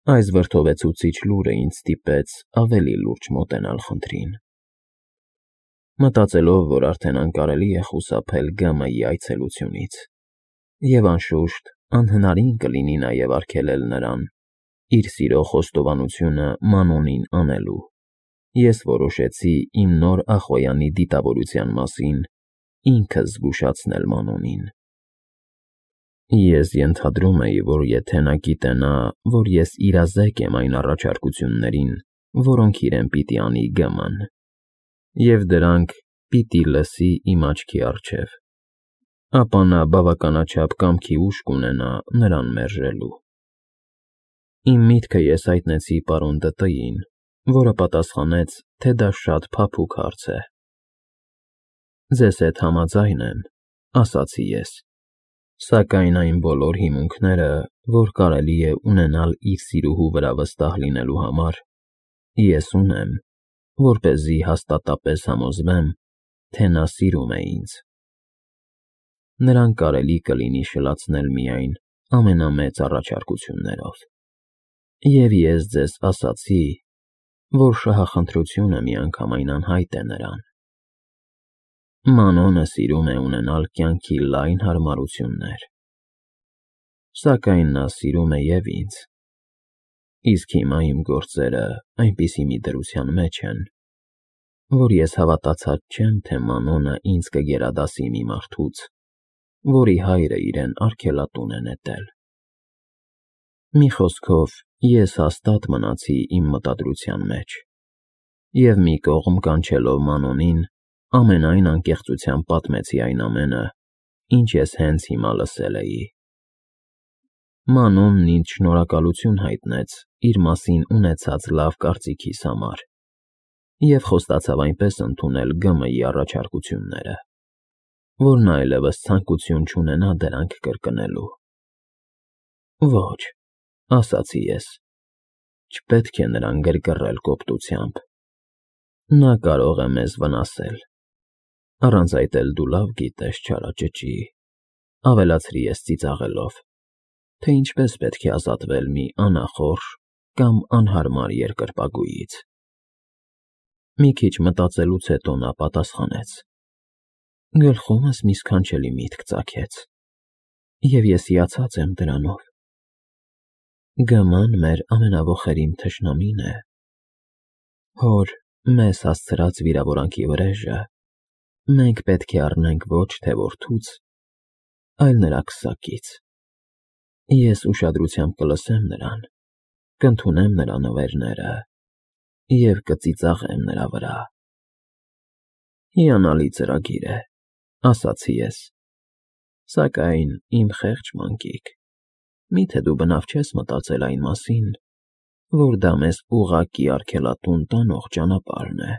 Այս վրդովեցուցիչ լուրը ինձ ստիպեց ավելի լուրջ մոտենալ խնդրին։ Մտածելով, որ արդեն անկարելի է խուսափել ԳՄ-ի այցելությունից, և անշուշտ անհնարին կլինի նաև արգելել նրան իր սիրո խոստովանությունը Մանոնին անելու, ես որոշեցի իմ նոր Ախոյանի դիտավորության մասին ինքս զգուշացնել Մանոնին։ Ես ենթադրում էի, որ եթե նա գիտենա, որ ես իրազեկ եմ այն առաջարկություններին, որոնք իրեն պիտի անի ԳՄ-ն, և դրանք պիտի լսի իմ աչքի առջև, ապա նա բավականաչափ կամքի ուժ կունենա նրան մերժելու։ Իմ միտքը ես հայտնեցի պարոն Դ.Տ.-ին, որը պատասխանեց, թե դա շատ փափուկ հարց է։ Ձեզ հետ համաձայն եմ, ասացի ես, սակայն այն բոլոր հիմունքները, որ կարելի է ունենալ իր սիրուհու վրա վստահ լինելու համար, ես ունեմ, որպեսզի հաստատապես համոզվեմ, թե նա սիրում է ինձ։ Նրան կարելի կլինի շլացնել միայն ամենամեծ առաջարկություններով։ Եվ ես ձեզ ասացի, որ շահախնդրությունը միանգամայն անհայտ է նրան։ Մանոնը սիրում է ունենալ կյանքի լայն հարմարություններ, սակայն նա սիրում է և ինձ, իսկ հիմա իմ գործերը այնպիսի մի դրության մեջ են, որ ես հավատացած չեմ, թե Մանոնը ինձ կգերադասի մի մարդուց, որի հայրը իրեն արգելատուն է նետել։ Մի խոսքով, ես հաստատ մնացի իմ մտադրության մեջ և մի կողմ կանչելով Մանոնին, ամենայն անկեղծությամբ պատմեցի այն ամենը, ինչ ես հենց հիմա լսել էի։ Մանոնն ինձ շնորհակալություն հայտնեց իր մասին ունեցած լավ կարծիքիս համար և խոստացավ այնպես ընդունել ԳՄ-ի առաջարկությունները, որ նա այլևս ցանկություն չունենա դրանք կրկնելու։ Ոչ, ասացի ես, չպետք է նրան գրգռել կոպտությամբ։ Նա կարող է մեզ վնասել, առանց այդ էլ դու լավ գիտես, չարաճճի, ավելացրի ես ծիծաղելով, թե ինչպես պետք է ազատվել մի անախորժ կամ անհարմար երկրպագուից։ Մի քիչ մտածելուց հետո նա պատասխանեց. Գլխումս մի սքանչելի միտք ծագեց, և ես հիացած եմ դրանով։ ԳՄ-ն մեր ամենավոխերիմ թշնամին է։ Հոր մեզ հասցրած վիրավորանքի վրեժը մենք պետք է առնենք ոչ թե որդուց, այլ նրա քսակից։ Ես ուշադրությամբ կլսեմ նրան, կընդունեմ նրա նվերները և կծիծաղեմ նրա վրա։ Հիանալի ծրագիր է, ասացի ես, սակայն իմ խեղճ մանկիկ, միթե դու բնավ չես մտածել այն մասին, որ դա մեզ ուղղակի արգելատուն տանող ճանապարհն է։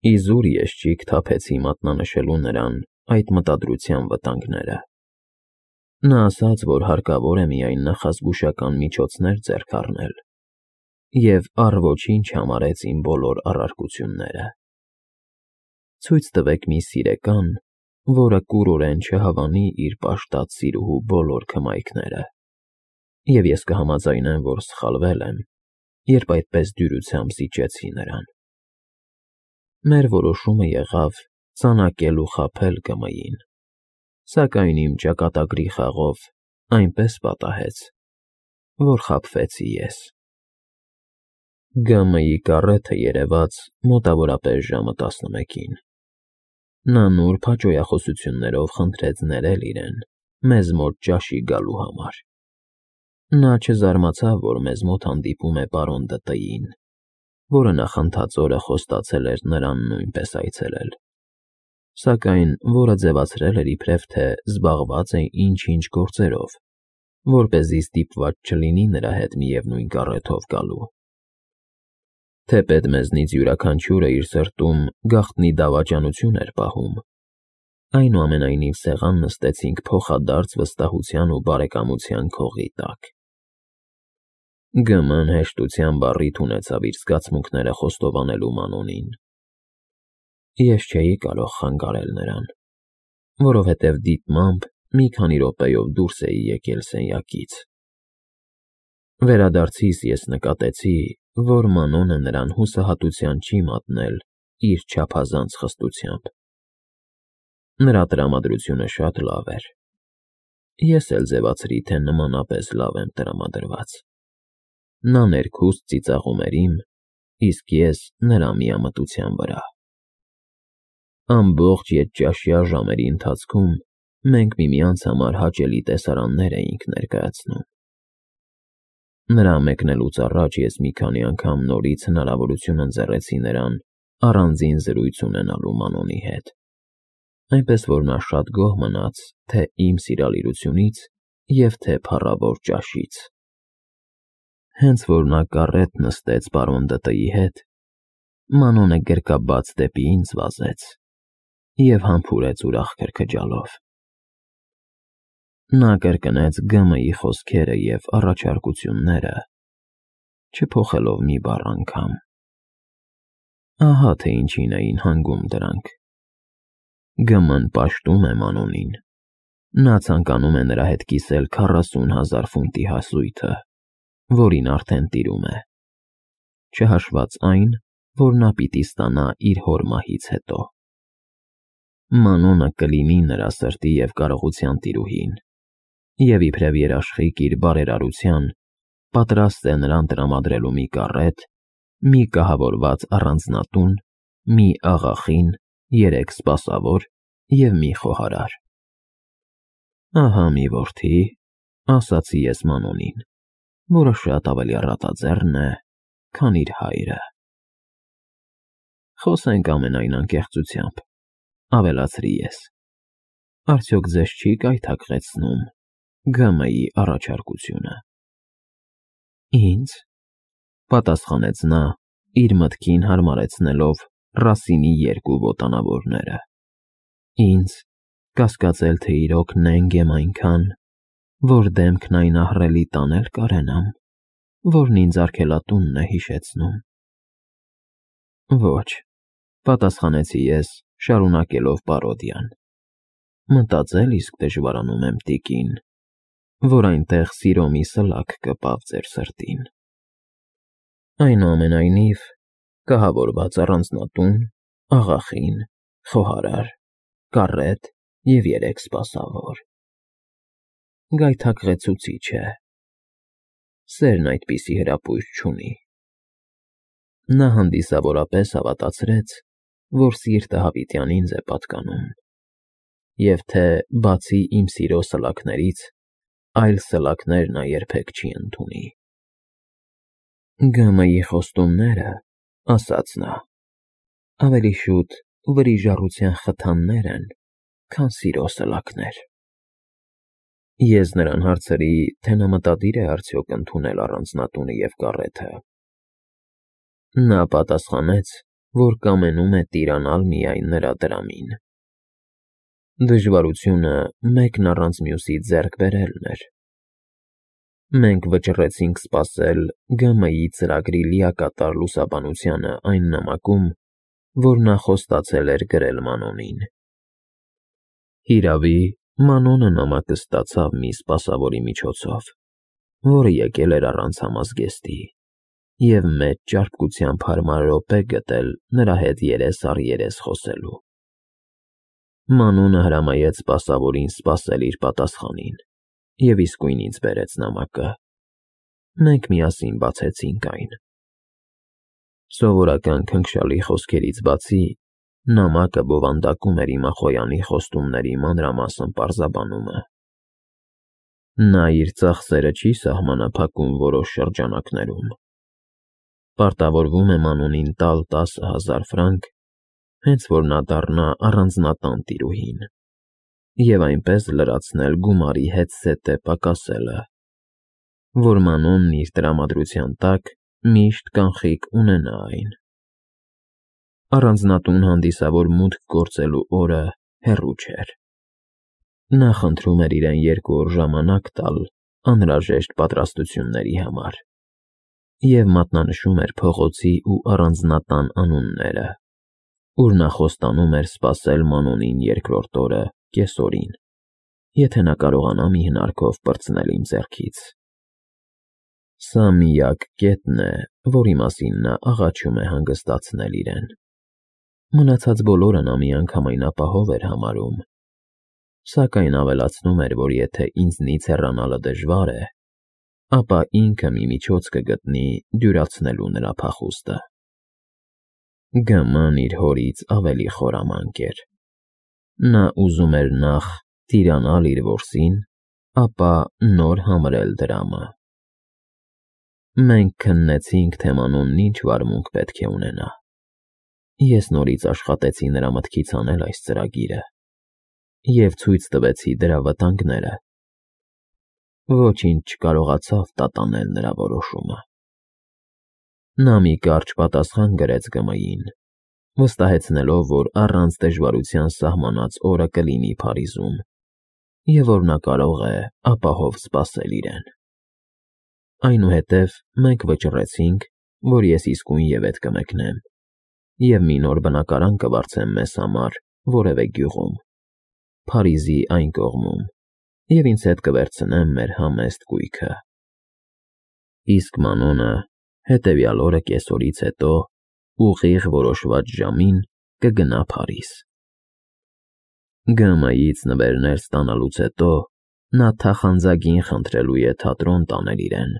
Իզուր ես թափեցի մատնանշելու նրան այդ մտադրության վտանգները։ Նա ասաց, որ հարկավոր է միայն նախազգուշական միջոցներ ձեռք առնել, և առ ոչինչ համարեց իմ բոլոր առարկությունները։ Ցույց տվեք մի սիրեկան, որը կուրորեն չհավանի իր պաշտած սիրուհու բոլոր քմայքները, և ես կհամաձայնեմ, որ սխալվել եմ, երբ այդպես դյուրությամբ զիջեցի նրան։ Մեր որոշումը եղավ ծանակել ու խաբել ԳՄ-ին, սակայն իմ ճակատագրի խաղով այնպես պատահեց, որ խաբվեցի ես։ ԳՄ-ի կառեթը երևաց մոտավորապես ժամը 11-ին։ Նա նուրբ հաճոյախոսություններով խնդրեց ներել իրեն մեզ մոտ ճաշի գալու համար։ Նա չզարմացավ, որ մեզ մոտ հանդիպում է պարոն Դ.Տ.-ին, որը նախընթաց օրը խոստացել էր նրան նույնպես այցելել, սակայն որը ձևացրել էր իբրև թե զբաղված է ինչ-ինչ գործերով, որպեսզի ստիպված չլինի նրա հետ միևնույն կառեթով գալու։ Թեպետ մեզնից յուրաքանչյուրը իր սրտում գաղտնի դավաճանություն էր պահում, այնուամենայնիվ սեղան նստեցինք փոխադարձ վստահության ու բարեկամության քողի տակ։ ԳՄ-ն հեշտությամբ առիթ ունեցավ իր զգացմունքները խոստովանելու Մանոնին։ Ես չէի կարող խանգարել նրան, որովհետև դիտմամբ մի քանի րոպեով դուրս էի եկել սենյակից։ Վերադարձիս ես նկատեցի, որ Մանոնը նրան հուսահատության չի մատնել իր չափազանց խստությամբ։ Նրա տրամադրությունը շատ լավ էր։ Ես էլ ձևացրի, թե նմանապես լավ եմ տրամադրված։ Նա ներքուստ ծիծաղում էր իմ, իսկ ես նրա միամտության վրա։ Ամբողջ ետճաշյա ժամերի ընթացքում մենք միմյանց համար հաճելի տեսարաններ էինք ներկայացնում։ Նրա մեկնելուց առաջ ես մի քանի անգամ նորից հնարավորություն ընձեռեցի նրան առանձին զրույց ունենալու Մանոնի հետ, այնպես որ նա շատ գոհ մնաց թե իմ սիրալիրությունից և թե փառավոր ճաշից։ Հենց որ նա կառետ նստեց պարոն ԴՏ-ի հետ, Մանոնը գրկաբաց դեպի ինձ վազեց և համբուրեց ուրախ քրքջալով։ Նա կրկնեց ԳՄ-ի խոսքերը և առաջարկությունները, չփոխելով մի բառ անգամ։ Ահա թե ինչին էին հանգում դրանք։ ԳՄ-ն պաշտում է Մանոնին։ Նա ցանկանում է նրա հետ կիսել 40,000 ֆունտի հասույթը, որին արդեն տիրում է, չհաշված այն, որ նա պիտի ստանա իր հոր մահից հետո։ Մանոնը կլինի նրա սրտի և կարողության տիրուհին, և իբրև երաշխիք իր բարերարության, պատրաստ է նրան տրամադրելու մի կառետ, մի կահավորված առանձնատուն, մի աղախին, 3 սպասավոր և մի խոհարար։ Ահա մի որդի, ասացի ես Մանոնին, որը շատ ավելի առատաձեռն է, քան իր հայրը։ Խոսենք ամենայն անկեղծությամբ, ավելացրի ես, արդյոք ձեզ չի կայթակղեցնում ԳՄ-ի առաջարկությունը։ Ինձ, պատասխանեց նա, իր մտքին հարմարեցնելով Ռասինի 2 ոտանավորները։ Ինձ կասկածել, թե իրոք նենգ եմ այնքան, որ դեմքն այն ահռելի տանել կարենամ, որն ինձ արգելատունն է հիշեցնում։ Ոչ, պատասխանեցի ես, շարունակելով պարոդիան։ Մտածել իսկ դժվարանում եմ, տիկին, որ այնտեղ սիրո մի սլաք կպավ ձեր սրտին։ Այնուամենայնիվ, կահավորված առանձնատուն, աղախին, խոհարար, կառետ և 3 սպասավոր։ Գայթակղեցուցիչ է։ Սերն այդպիսի հրապույր չունի։ Նա հանդիսավորապես հավատացրեց, որ սիրտը հավիտյան ինձ է պատկանում, և թե բացի իմ սիրո սլաքներից, այլ սլաքներ նա երբեք չի ընդունի։ ԳՄ-ի խոստումները, ասաց նա, ավելի շուտ վրիժառության խթաններ են, քան սիրո սլաքներ։ Ես նրան հարցրի, թե նա մտադիր է արդյոք ընդունել առանձնատունը և կառեթը։ Նա պատասխանեց, որ կամենում է տիրանալ միայն նրա դրամին։ Դժվարությունը մեկն առանց մյուսի ձեռք բերելն էր։ Մենք վճռեցինք սպասել ԳՄ-ի ծրագրի լիակատար լուսաբանությանը այն նամակում, որ նա խոստացել էր գրել Մանոնին։ Հիրավի, Մանոնը նամակը ստացավ մի սպասավորի միջոցով, որը եկել էր առանց համազգեստի, և մեծ ճարպկությամբ հարմար րոպե գտել նրա հետ երես առ երես խոսելու։ Մանոնը հրամայեց սպասավորին սպասել իր պատասխանին և իսկույն ինձ բերեց նամակը։ Մենք միասին բացեցինք այն։ Սովորական քնքշալի խոսքերից բացի, նամակը բովանդակում էր Իմախոյանի խոստումների մանրամասն պարզաբանումը։ Նա իր ծախսերը չի սահմանափակում որոշ շրջանակներում։ Պարտավորվում է Մանոնին տալ 10,000 ֆրանկ, հենց որ նա դառնա առանձնատան տիրուհին, և այնպես լրացնել գումարի հետզհետե պակասելը, որ Մանոնն իր տրամադրության տակ միշտ կանխիկ ունենա այն։ Առանձնատուն հանդիսավոր մուտք գործելու օրը հեռու չէր։ Նա խնդրում էր իրեն 2 օր ժամանակ տալ անհրաժեշտ պատրաստությունների համար և մատնանշում էր փողոցի ու առանձնատան անունները, ուր նա խոստանում էր սպասել Մանոնին 2-րդ օրը կեսօրին, եթե նա կարողանա մի հնարքով պրծնել իմ ձեռքից։ Սա միակ կետն է, որի մասին նա աղաչում է հանգստացնել իրեն։ Մնացած բոլորը նա միանգամայն ապահով էր համարում, սակայն ավելացնում էր, որ եթե ինձնից հեռանալը դժվար է, ապա ինքը մի միջոց կգտնի դյուրացնելու նրա փախուստը։ Գ.Մ.-ն իր հորից ավելի խորամանկ էր։ Նա ուզում էր նախ տիրանալ իր որսին, ապա նոր համրել դրամը։ Մենք քննեցինք, թե Մանոնն ինչ վարմունք պետք է ունենա։ Ես նորից աշխատեցի նրա մտքից անել այս ծրագիրը և ցույց տվեցի դրա վտանգները։ Ոչինչ չկարողացավ տատանել նրա որոշումը։ Նա մի կարճ պատասխան գրեց Գ.Մ.-ին, վստահեցնելով, որ առանց դժվարության սահմանած օրը կլինի Փարիզում և որ նա կարող է ապահով սպասել իրեն։ Այնուհետև մենք վճռեցինք, որ ես իսկույն ետ կմեկնեմ և մի նոր բնակարան կվարձեմ մեզ համար որևէ գյուղում, Փարիզի այն կողմում, և ինձ հետ կվերցնեմ մեր համեստ կույքը։ Իսկ Մանոնը հետևյալ օրը կեսօրից հետո ուղիղ որոշված ժամին կգնա Փարիզ։ Գ.Մ.-ից նվերներ ստանալուց հետո նա թախանձագին խնդրելու է թատրոն տանել իրեն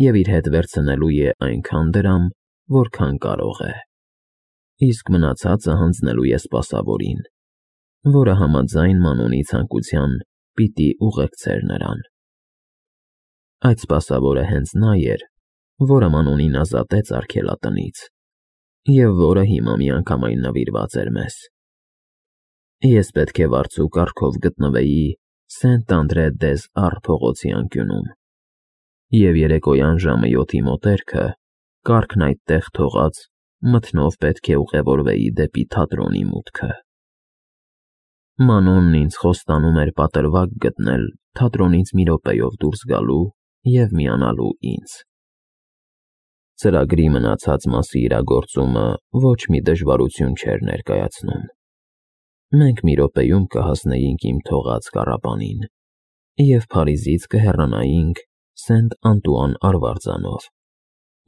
և իր հետ վերցնելու է այնքան դրամ, որքան կարող է, իսկ մնացածը հանձնելու է սպասավորին, որը համաձայն Մանոնի ցանկության պիտի ուղեկցեր նրան։ Այդ սպասավորը հենց նա էր, որը Մանոնին ազատեց արգելատնից և որը հիմա միանգամայն նվիրված էր մեզ։ Ես պետք է վարձու կարգով գտնվեի Սենտ-Անդրե-դեզ-Առ փողոցի անկյունում, և երեկոյան ժամը 7-ի մոտերքը, կառքն այդտեղ թողած, մթնով պետք է ուղևորվեի դեպի թատրոնի մուտքը։ Մանոնն ինձ խոստանում էր պատրվակ գտնել թատրոնից մի րոպեով դուրս գալու և միանալու ինձ։ Ծրագրի մնացած մասի իրագործումը ոչ մի դժվարություն չէր ներկայացնում։ Մենք մի րոպեում կհասնեինք իմ թողած կառապանին և Փարիզից կհեռանայինք Սենտ-Անտուան արվարձանով,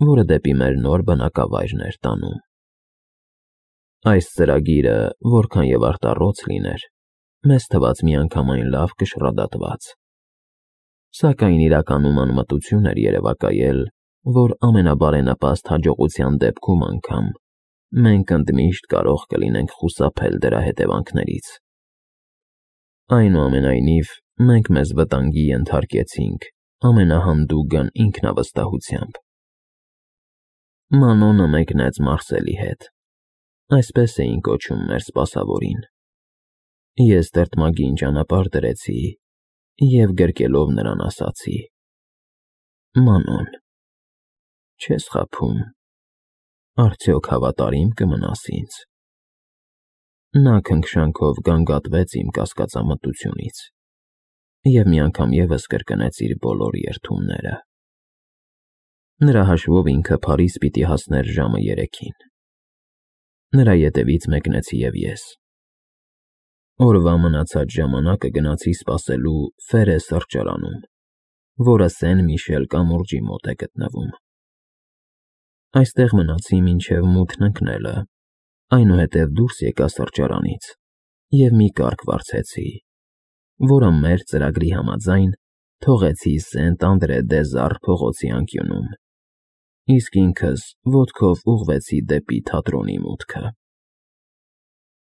որը դեպի մեր նոր բնակավայրն էր տանում։ Այս ծրագիրը, որքան և արտառոց լիներ, մեզ թվաց միանգամայն լավ կշռադատված, սակայն իրականում անմտություն էր երևակայել, որ ամենաբարենպաստ հաջողության դեպքում անգամ մենք ընդմիշտ կարող կլինենք խուսափել դրա հետևանքներից։ Այնուամենայնիվ, մենք մեզ վտանգի ենթարկեցինք ամենահանդուգն ինքնավստահությամբ։ Մանոնը մեկնեց Մարսելի հետ, այսպես էին կոչում մեր սպասավորին։ Ես տրտմագին ճանապարհ դրեցի և գրկելով նրան ասացի. «Մանոն, չես խաբում, արդյոք հավատարի՞մ կմնաս ինձ»։ Նա քնքշանքով գանգատվեց իմ կասկածամտությունից և մի անգամ ևս կրկնեց իր բոլոր երդումները։ Նրա հաշվով ինքը Փարիզ պիտի հասներ ժամը 3-ին։ Նրա ետևից մեկնեցի և ես։ Օրվա մնացած ժամանակը գնացի սպասելու Ֆերե սրճարանում, որը Սեն֊Միշել կամուրջի մոտ է գտնվում։ Այստեղ մնացի մինչև մութն ընկնելը, այնուհետև դուրս եկա սրճարանից և մի կառք վարձեցի, որը մեր ծրագրի համաձայն թողեցի Սենտ-Անդրե-դեզ-Առ փողոցի անկյունում, իսկ ինքս ոտքով ուղղվեցի դեպի թատրոնի մուտքը։